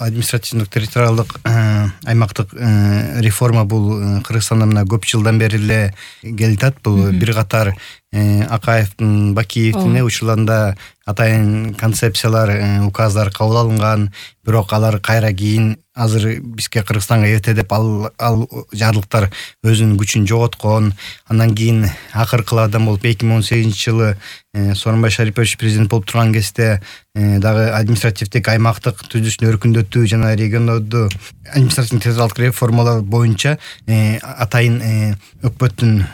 административдик территориалдык аймактык реформа бул Кыргызстанда мына көп жылдан бери эле келатат. Бул бир катар Акаевдин, Бакиевдин учурларында атайын концепциялар, указдар кабыл алынган, бирок алар кайра кийин азыр бизге Кыргызстанга эрте деп ал жарлыктар өзүнүн күчүн жоготкон. Андан кийин акыркылардан болуп 2018-жылы Сооронбай Шарипович президент болуп турган кезде дагы административдик аймактык түзүлүшүн өркүндөтүү жана региондорду административдик территориалдык реформалар боюнча атайын өкмөттүн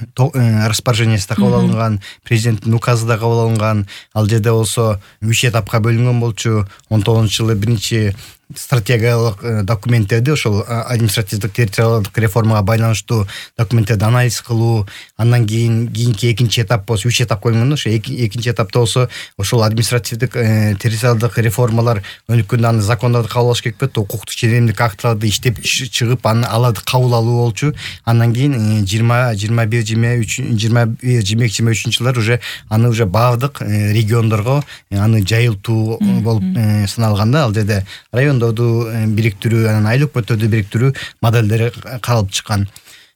распоряжениясы да кабыл алынган, президенттин указы да кабыл алынган. Ал жерде болсо 3 этапка бөлүнгөн болчу. 19-жылы биринчи стратегиялык документтерди, ошол административдик территориалдык реформага байланыштуу документтерди анализ кылуу, андан кийинки экинчи этап болсо 3 этапка бөлүнгөн. Ошо экинчи этапта болсо ошол административдик территориалдык реформалар өнүккөндө аны закондорду кабыл алыш керек болот, укуктук ченемдик актыларды иштеп чыгып аларды кабыл алуу болчу. Андан кийин 2022-2023-жылдар уже аны уже баардык региондорго аны жайылтуу болуп саналганда, ал жерде райондорду бириктирүү, анан айыл өкмөттөрдү бириктирүү моделдери каралып чыккан.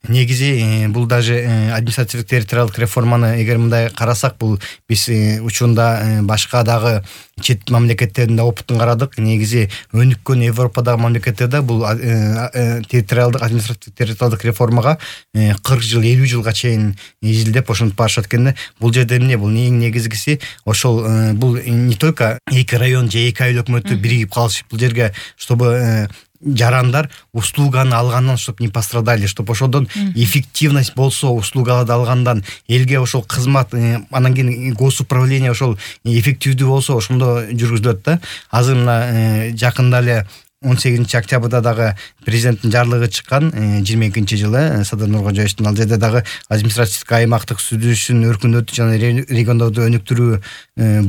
Негизи бул даже административдик территориалдык реформаны эгер мындай карасак, бул биз учурунда башка дагы чет мамлекеттердин да опытын карадык. Негизи өнүккөн Европадагы мамлекеттерде бул территориалдык административдик территориалдык реформага 40 жыл, 50 жылга чейин изилдеп ошентип барышат экенде. Бул жерде эмне? Бул эң негизгиси ошол бул не только эки район же эки айыл өкмөтү биригип калыш, бул жерге чтобы жарандар услуганы алгандан чтобы не пострадали, чтобы ошодон эффективность болсо, услугаларды алгандан элге ошол кызмат, анан кийин госуправление ошол эффективдүү болсо ошондо жүргүзүлөт да. Азыр мына жакында эле 18 октябрда дагы президенттин жарлыгы чыккан 22-жылы Садыр Нуркожоевичтин. Ал жерде дагы административдик аймактык түзүлүшүн өркүндөтүү жана региондорду өнүктүрүү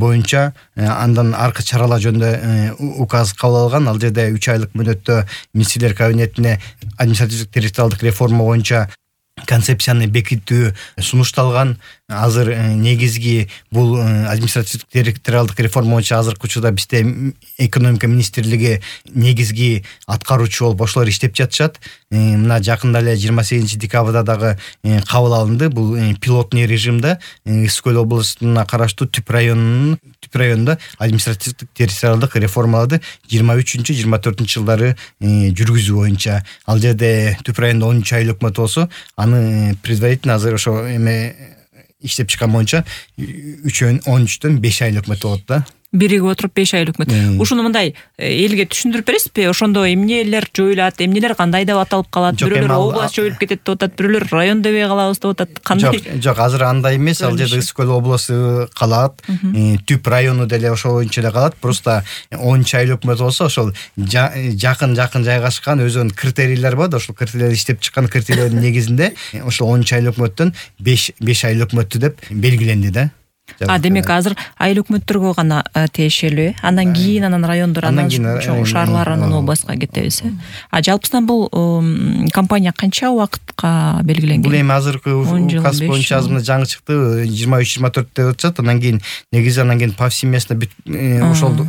боюнча андан аркы чаралар жөнүндө указ кабыл алган. Ал жерде 3 айлык мөөнөттө министрлер кабинетине административдик территориалдык реформа боюнча концепцияны бекитүү сунушталган. Азыр негизги бул административдик территориалдык реформа боюнча азыркы учурда бизде экономика министрлиги негизги аткаруучу болуп ошолор иштеп жатышат. Мына жакында эле 28 декабрда дагы кабыл алынды. Бул пилотный режимде Ысык Көл областына караштуу Түп районунда административдик территориалдык реформаларды 23-24-жылдары жүргүзүү боюнча. Ал жерде Түп районунда 13 айыл өкмөт болсо, аны предварительно азыр ошо иштеп чыккан боюнча 13-төн 5 айыл өкмөт болот да. Биригип отуруп 5 айыл өкмөт. Ушуну мындай элге түшүндүрүп бересизби? Ошондо эмнелер жоюлат, эмнелер кандай деп аталып калат? Бирөөлөр область жоюлуп кетет деп атат, бирөөлөр район дебей калабыз деп атат. Кандай? Жок, азыр андай эмес. Ал жерде Ысык Көл областы калат, Түп району деле ошол боюнча эле калат. Просто 10 айыл өкмөт болсо, ошол жакын жайгашкан өзүнүн критерийлери бар. Ошол критерийлерди иштеп чыккан критерийлердин негизинде ошол 10 айыл өкмөттөн 5 айыл өкмөттү деп белгиленди да. Демек азыр айыл өкмөттөргө гана тиешелүү, андан кийин анан райондор, анан чоң шаарлар, анан областка кетебиз. Жалпысынан бул компания канча убакытка белгиленген? Бул эми азыркы указ боюнча азыр жаңы чыкты, 23-24 деп атышат. Андан кийин негизи повсеместно ошол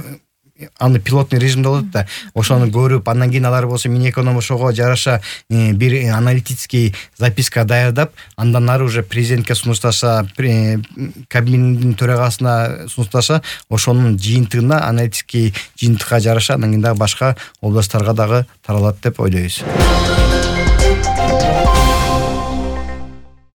аны пилотный режимде болот да. Ошону көрүп, андан кийин алар болсо Минэконом ошого жараша бир аналитический записка даярдап, андан ары уже президентке сунушташа, кабинеттин төрагасына сунушташа, ошонун жыйынтыгына, аналитический жыйынтыкка жараша андан кийин дагы башка областтарга дагы таралат деп ойлойбуз.